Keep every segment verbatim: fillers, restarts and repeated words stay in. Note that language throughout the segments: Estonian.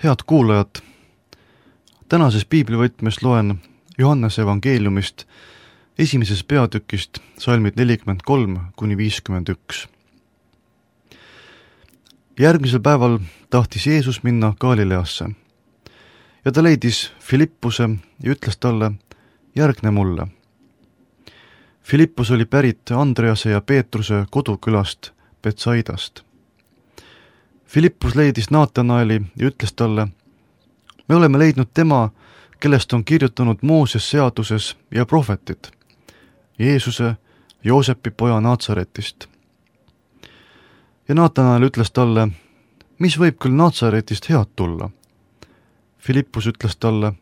Head kuulajad, tänases piiblivõtmes loen Johannese evangeeliumist esimesest peatükist salmid nelikümmend kolm kuni viiskümmend üks. Järgmisel päeval tahtis Jeesus minna Galileasse ja ta leidis Filippuse ja ütles talle, järgne mulle. Filippus oli pärit Andrease ja Peetruse kodukülast Betsaidast. Filippus leidis Naatanaeli ja ütles talle, me oleme leidnud tema, kellest on kirjutanud Mooses seaduses ja prohvetid, Jeesuse, Joosepi poja Naatsaretist. Ja Naatanael ütles talle, mis võib küll Naatsaretist head tulla? Filippus ütles talle,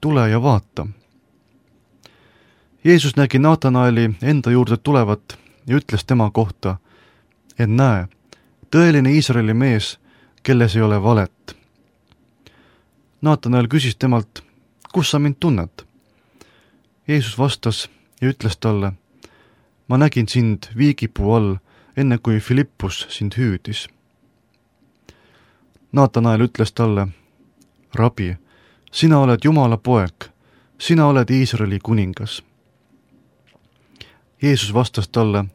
tule ja vaata. Jeesus nägi Naatanaeli enda juurde tulevat ja ütles tema kohta, et näe, tõeline Iisraeli mees, kelles ei ole valet. Naatanael küsis temalt, kus sa mind tunned? Jeesus vastas ja ütles talle, ma nägin sind viigipuu all, enne kui Filippus sind hüüdis. Naatanael ütles talle, rabi, sina oled Jumala poeg, sina oled Iisraeli kuningas. Jeesus vastas talle,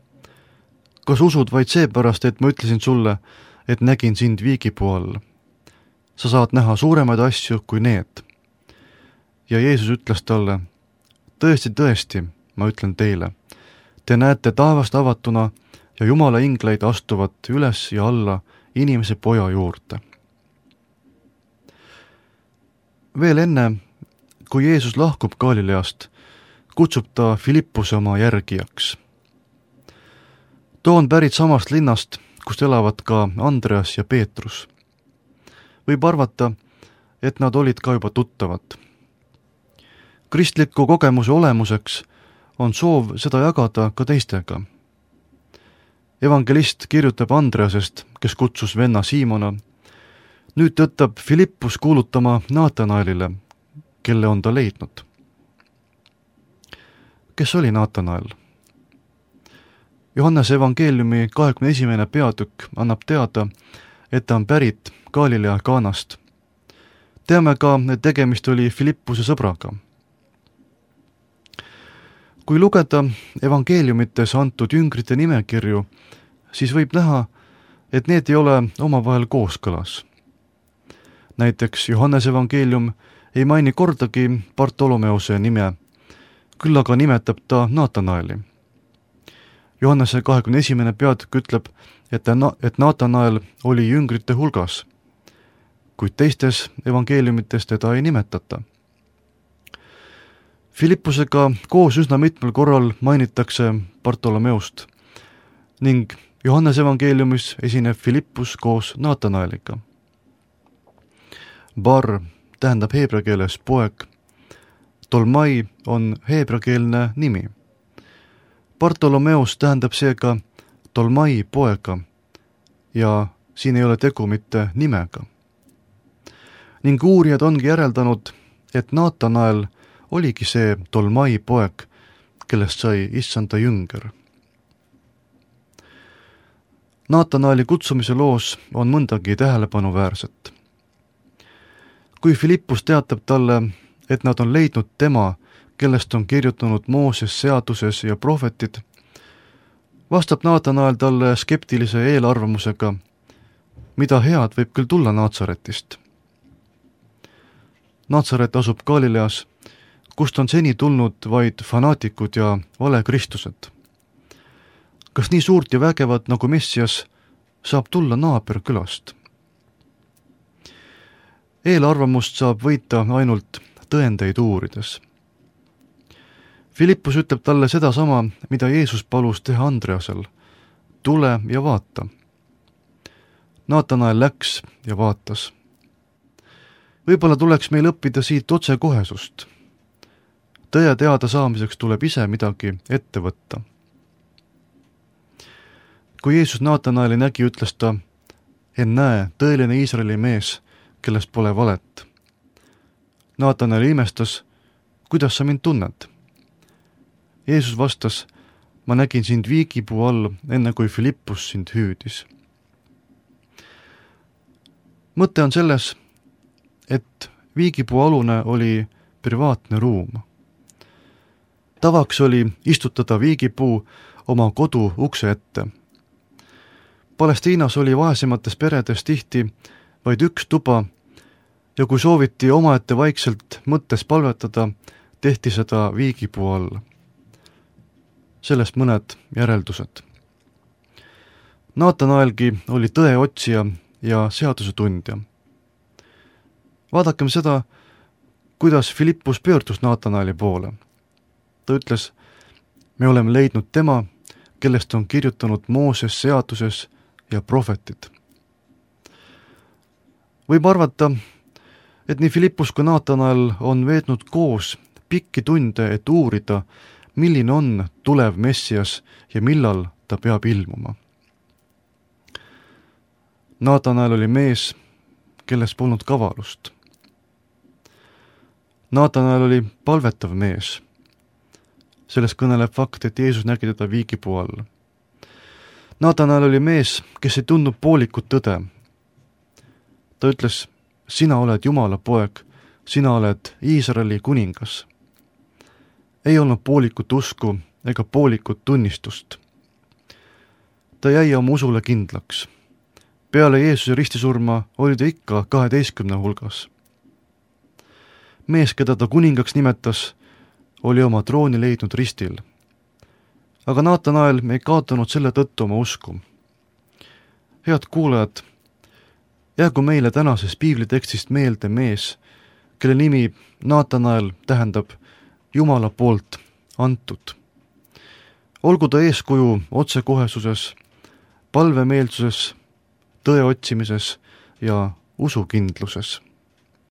kas usud vaid seepärast, et ma ütlesin sulle, et nägin sind viigipuu all? Sa saad näha suuremaid asju kui need. Ja Jeesus ütles talle, tõesti, tõesti, ma ütlen teile, te näete taevast avatuna ja Jumala ingleid astuvat üles ja alla inimese poja juurde. Veel enne, kui Jeesus lahkub Galileast, kutsub ta Filippuse oma järgijaks. Too on pärit samast linnast, kust elavad ka Andreas ja Peetrus. Võib arvata, et nad olid ka juba tuttavad. Kristliku kogemuse olemuseks on soov seda jagada ka teistega. Evangelist kirjutab Andreasest, kes kutsus venna Siimona. Nüüd tõttab Filippus kuulutama Naatanaelile, kelle on ta leidnud. Kes oli Naatanael? Johannese evangeeliumi kahekümne esimene peatükk annab teada, et ta on pärit Galilea Kaanast. Teame ka, et tegemist oli Filippuse sõbraga. Kui lugeda evangeeliumites antud jüngrite nimekirju, siis võib näha, et need ei ole omavahel kooskõlas. Näiteks Johannese evangeelium ei maini kordagi Bartolomeuse nime, küll aga nimetab ta Naatanaeli. Johannese kahekümne esimene peatükk ütleb, et, et Naatanael oli jüngrite hulgas, kuid teistes evangeeliumites teda ei nimetata. Filippusega koos üsna mitmel korral mainitakse Bartolomeust ning Johannese evangeeliumis esineb Filippus koos Naatanaeliga. Bar tähendab heebrea keeles poeg, Tolmai on heebreakeelne nimi. Bartolomeus tähendab seega Tolmai poega ja siin ei ole tegu mitte nimega. Ning uurijad ongi järeldanud, et Naatanael oligi see Tolmai poeg, kellest sai issanda jünger. Naatanaeli kutsumise loos on mõndagi tähelepanuväärset. Kui Filippus teatab talle, et nad on leidnud tema, kellest on kirjutanud Mooses seaduses ja prohvetid, vastab Naatanael talle skeptilise eelarvamusega, mida head võib küll tulla Naatsaretist. Naatsaret asub Galileas, kust on seni tulnud vaid fanaatikud ja valekristused. Kas nii suurt ja vägevat nagu Messias saab tulla naaberkülast? Eelarvamust saab võita ainult tõendeid uurides. Filippus ütleb talle sedasama, mida Jeesus palus teha Andreasel. Tule ja vaata. Naatanael läks ja vaatas. Võib-olla tuleks meil õppida siit otsekohesust. Tõe teada saamiseks tuleb ise midagi ette võtta. Kui Jeesus Naatanaeli nägi, ütles ta, en näe, tõeline Iisraeli mees, kellest pole valet. Naatanael imestas, kuidas sa mind tunned? Jeesus vastas, ma nägin sind viigipuu all, enne kui Filippus sind hüüdis. Mõte on selles, et viigipuu alune oli privaatne ruum. Tavaks oli istutada viigipuu oma kodu ukse ette. Palestiinas oli vaesemates peredes tihti vaid üks tuba ja kui sooviti omaette vaikselt mõttes palvetada, tehti seda viigipuu all. Sellest mõned järeldused. Naatanaelgi oli tõeotsija ja seaduse tundja. Vaadakem seda, kuidas Filippus pöördus Naatanaeli poole. Ta ütles, me oleme leidnud tema, kellest on kirjutanud Mooses seaduses ja prohvetid. Võib arvata, et nii Filippus kui Naatanael on veetnud koos pikki tunde, et uurida, milline on tulev Messias ja millal ta peab ilmuma. Naatanael oli mees, kelles polnud kavalust. Naatanael oli palvetav mees. Sellest kõneleb fakt, et Jeesus nägi teda viigipuu all. Naatanael oli mees, kes ei tundnud poolikut tõde. Ta ütles, sina oled Jumala poeg, sina oled Iisraeli kuningas. Ei olnud poolikut usku ega poolikut tunnistust. Ta jäi oma usule kindlaks. Peale Jeesuse ristisurma oli ta ikka kaheteistkümne hulgas. Mees, keda ta kuningaks nimetas, oli oma trooni leidnud ristil. Aga Naatanael ei kaotanud selle tõttu oma usku. Head kuulajad, jäägu meile tänases piiblitekstist meelde mees, kelle nimi Naatanael tähendab Jumala poolt antud. Olgu ta eeskuju otsekohesuses, palvemeelsuses, tõe otsimises ja usukindluses.